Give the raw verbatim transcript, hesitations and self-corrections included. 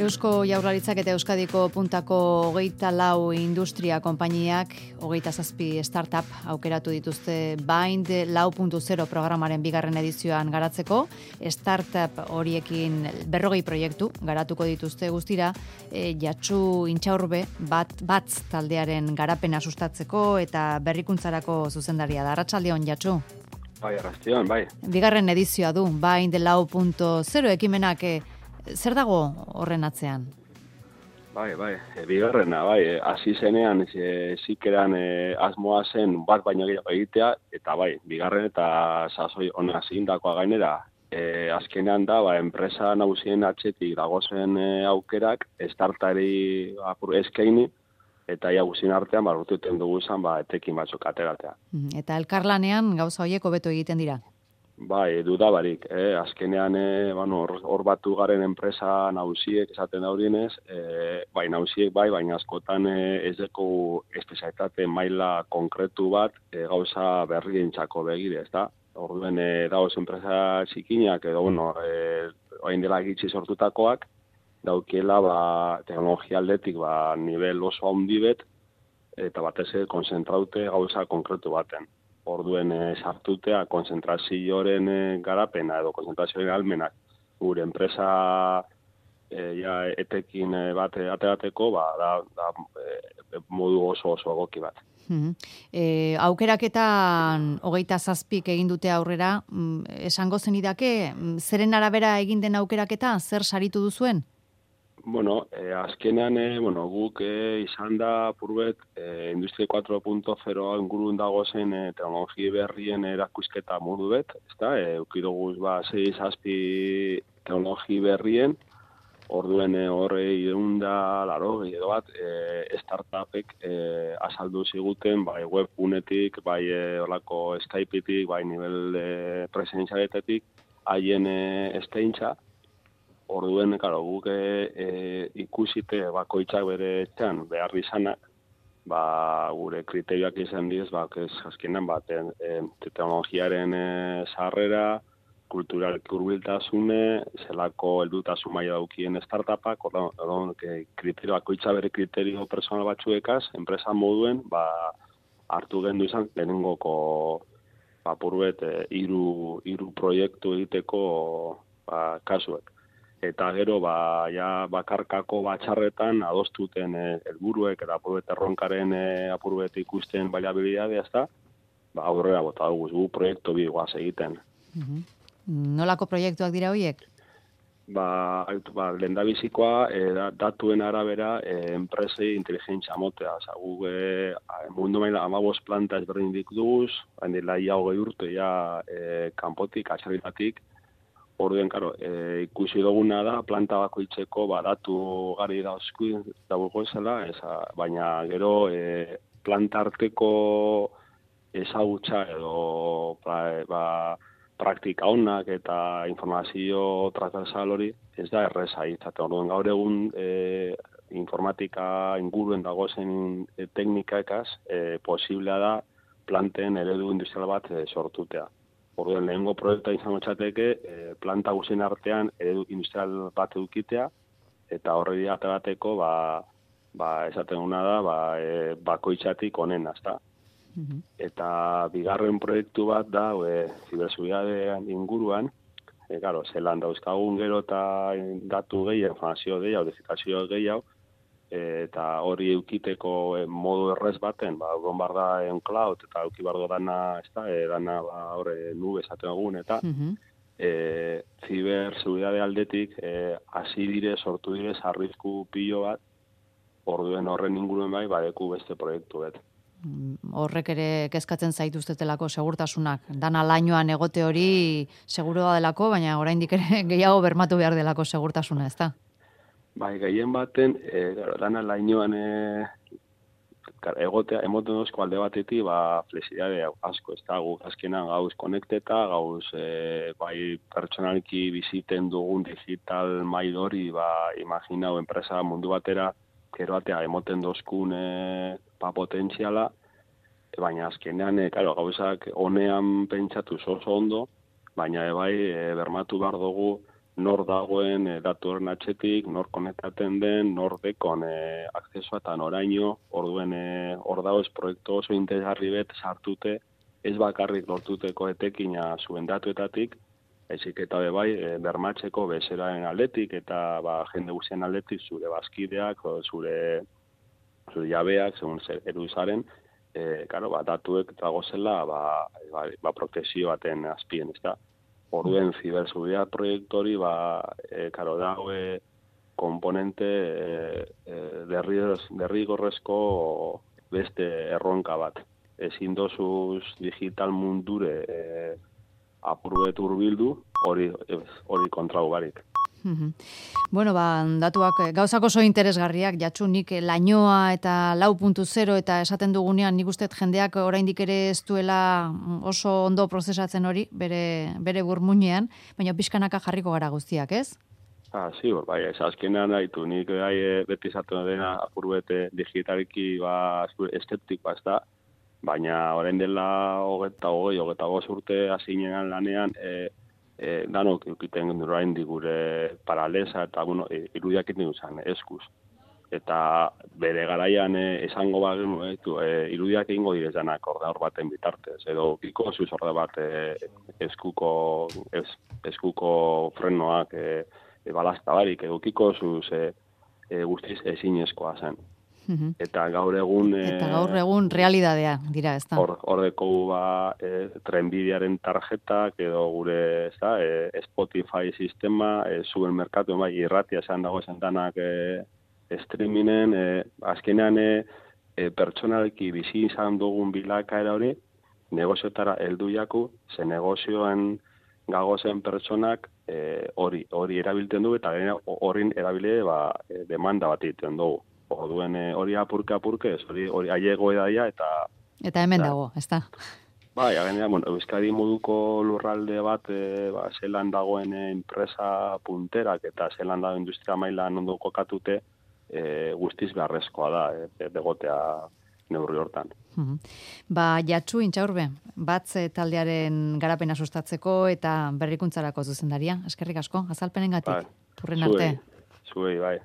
Eusko Jaurlaritzak eta Euskadiko puntako hogeita lau industria konpainiak hogeita zazpi startup aukeratu dituzte Bind lau puntu zero programaren bigarren edizioan garatzeko. Startup horiekin berrogei proiektu garatuko dituzte guztira, e, Jatsu Intxaurbe bat batz taldearen garapena sustatzeko eta berrikuntzarako zuzendaria da. Arratsaldeon, Jatsu. Bai, arratsaldeon, bai. Bigarren edizioa du Bind lau puntu zero ekimenak. E, Zer dago horren atzean? Bai, bai, e, bigarrena, bai, hasi zenean e, zikeran e, asmoa zen bat baino gehiago egitea, eta bai, bigarren eta sasoi ona zindakoa gainera, e, azkenean da, ba, enpresa nagusien atzetik dagozen e, aukerak, startari apur eskaini, eta ia guzien artean, ba, urtuten dugu izan, ba, etekin batzuk ateratea. Eta elkarlanean gauza horiek hobeto egiten dira? Bai, dudabarik, eh? azkenean eh, bueno, hor batu garen enpresa nausiek esaten daurienez, eh, bai nausiek bai, baina askotan eh, ez deko espezialitate maila konkretu bat eh, gauza berrientzako begire, ezta? Orduen eh, dagoz enpresa txikinak edo, bueno, eh, orain dela gitxi sortutakoak, daukiela ba, teknologia aldetik ba, nivel oso handi bet, eta batez konzentraute gauza konkretu baten. Orduen e, sartutea konzentrazioaren e, garapena edo konzentrazioaren almenak gure enpresa e, ja, etekin e, bat aterateko ba, da, da e, modu oso oso egoki bat. Mm-hmm. E, aukeraketan hogeita zazpik egin dute aurrera, mm, esango zenidake, zeren arabera egin den aukeraketa, zer saritu duzuen? Bueno, eh, azkenean, eh, bueno, guk eh, izan da purbet eh, Industria lau puntu zero ingurun dagozen eh, teknologi berrien erakusketa modu bet, ezta? Eh, ukidoguz ba sei zazpi teknologi berrien, orduen eh, horre irunda, laro, edo bat, eh, startupek eh, azaldu ziguten, bai webgunetik, bai eh, olako Skypeetik, bai nivel eh, presentzialetetik, haien eh, eskaintza. Orduen, karo, guk e, ikusite bakoitzak bere etxean behar izanak, ba, gure kriterioak izan diz, ba, azkenan bat, e, teknologiaren e, sarrera, kultural hurbiltasune, zelako heldutasun maila daukien startupak, orduen, kriterio bakoitza bere kriterio personal batzuekaz, enpresa moduen, ba, hartu gendu izan, lehenengoko, ba, purbet, e, iru, iru proiektu egiteko, ba, kasuek. Eta gero, ba, ja, bakarkako batxarretan adostuten helburuek eh, eta apurbet erronkaren eh, apurbet ikusten baliabilidadea, ezta? Ba, aurrera bota dugu, gu proiektu bi guaz egiten. Uh-huh. Nolako proiektuak dira horiek? Ba, ba lehendabizikoa eh, datuen arabera eh, enpresei inteligentzia motea. Osa, gu eh, mundu maila hamabost planta ezberdin dikduguz, hain dela ia hogei urte, ja eh, kanpotik, atxarritatik. Orduen, karo, e, ikusi duguna da, planta bakoitzeko badatu gari dauzku dago zela, eza, baina gero e, planta arteko ezagutza edo pra, ba, praktika onak eta informazio transversal hori ez da erreza izaten. Orduen, gaur egun e, informatika inguruen dagozen e, teknikakaz e, posiblea da planten eredu industrial bat e, sortutea. Orduen, lehengo proiektua izango txateke, e, planta guzien artean eredu industrial bat edukitea, eta horri aterateko, ba, ba, esaten guna da, ba, e, bakoitzatik onena, ezta? Mm-hmm. Eta bigarren proiektu bat da, e, ziberseguridade inguruan, e, claro, zelan dauzkagun gero eta datu gehiago, informazio gehiago, digitazio gehiago, eta hori eukiteko modu errez baten, ba, egon bar da en cloud, eta euki bardo dana, ez da, e, dana, ba, horre, nube esaten egun, eta mm-hmm. e, ziberseguridade aldetik, e, hasi dire, sortu dire, arrisku pilo bat, orduen horren inguruen bai, badeku beste proiektu bet. Horrek ere kezkatzen zaituztetelako segurtasunak. Dana lainoan egote hori seguroa delako, baina oraindik ere gehiago bermatu behar delako segurtasuna, ez da? Bai, gehien baten, e, dana lainoan e, egotea, emoten dozko alde batetik, ba, flexibilidade asko, ez da, guk azkenan gauz konekteta, gauz, e, bai, pertsonalki biziten dugun digital mail hori, ba, imaginau, enpresa mundu batera, gero batea, emoten dozkun, e, pa potentziala, e, baina azkenean, e, karo, gauzak honean pentsatu oso ondo, baina, e, bai, e, bermatu behar dugu, nor dagoen e, datu horren atxetik, nor konektaten den, nor dekon e, akzesoa eta noraino, orduen e, hor dago ez proiektu oso interesgarri bet sartute, ez bakarrik lortuteko etekina zuen datuetatik, ezik eta bai e, bermatzeko bezeraren aldetik eta ba, jende guztien aldetik zure bazkideak, o, zure, zure jabeak, segun zer eruzaren, e, karo, ba, datuek dagozela ba, ba, ba, protekzio baten azpien, ez da. Orduen ziberseguridad proiektu hori, ba, e, karo, dago e, komponente e, e, derrigorrezko beste erronka bat. Ezin dozuz digital mundure e, apurbet urbildu, hori hori kontrau barik. Bueno, ba, datuak gauzak oso interesgarriak, jatsu nik lainoa eta lau puntu zero eta esaten dugunean nik uste jendeak oraindik ere ez duela oso ondo prozesatzen hori, bere, bere burmuinean, baina pixkanaka jarriko gara guztiak, ez? Ah, sí, bai, ez azkenean haitu, nik gai beti esaten dena apurbete digitaliki ba, eskeptikoa ez da, baina orain dela hogeta hogei, hogeta goz urte hasinean lanean, e, e, danok eukiten orain digure paralesa eta bueno, e, irudiak iten duzan, eskuz. Eta bere garaian e, esango bat, e, e, irudiak egingo direzanak orde hor baten bitartez, edo kiko zuz orde bat e, eskuko, es, eskuko frenoak e, e, balazta barik, edo kiko zuz e, e, guztiz ezinezkoa zen. Eta gaur egun... Eta gaur egun realidadea dira, ez da? Hor, hor deko ba, e, trenbidearen tarjetak, edo gure ez da, e, Spotify sistema, e, zuen merkatu, bai, irratia esan dago esan danak e, streamingen, e, azkenean e, e, pertsonalki bizi izan dugun bilakaera hori, negoziotara heldu jaku, ze negozioen gagozen pertsonak hori e, hori erabiltzen du, eta horrin erabile ba, e, demanda bat egiten dugu. Orduen hori apurke apurke, hori hori aiego edaia eta eta hemen dago, ezta. Bai, gainera, bueno, Euskadi moduko lurralde bat e, ba, zelan dagoen enpresa punterak eta zelan dago industria mailan ondo kokatute, e, guztiz beharrezkoa da, e, degotea neurri hortan. Uh-huh. Ba, Jatsu Intxaurbe, batz taldearen garapena sustatzeko eta berrikuntzarako zuzendaria. Eskerrik asko, azalpenengatik. Bai, Urren arte. Zuei, zuei, bai.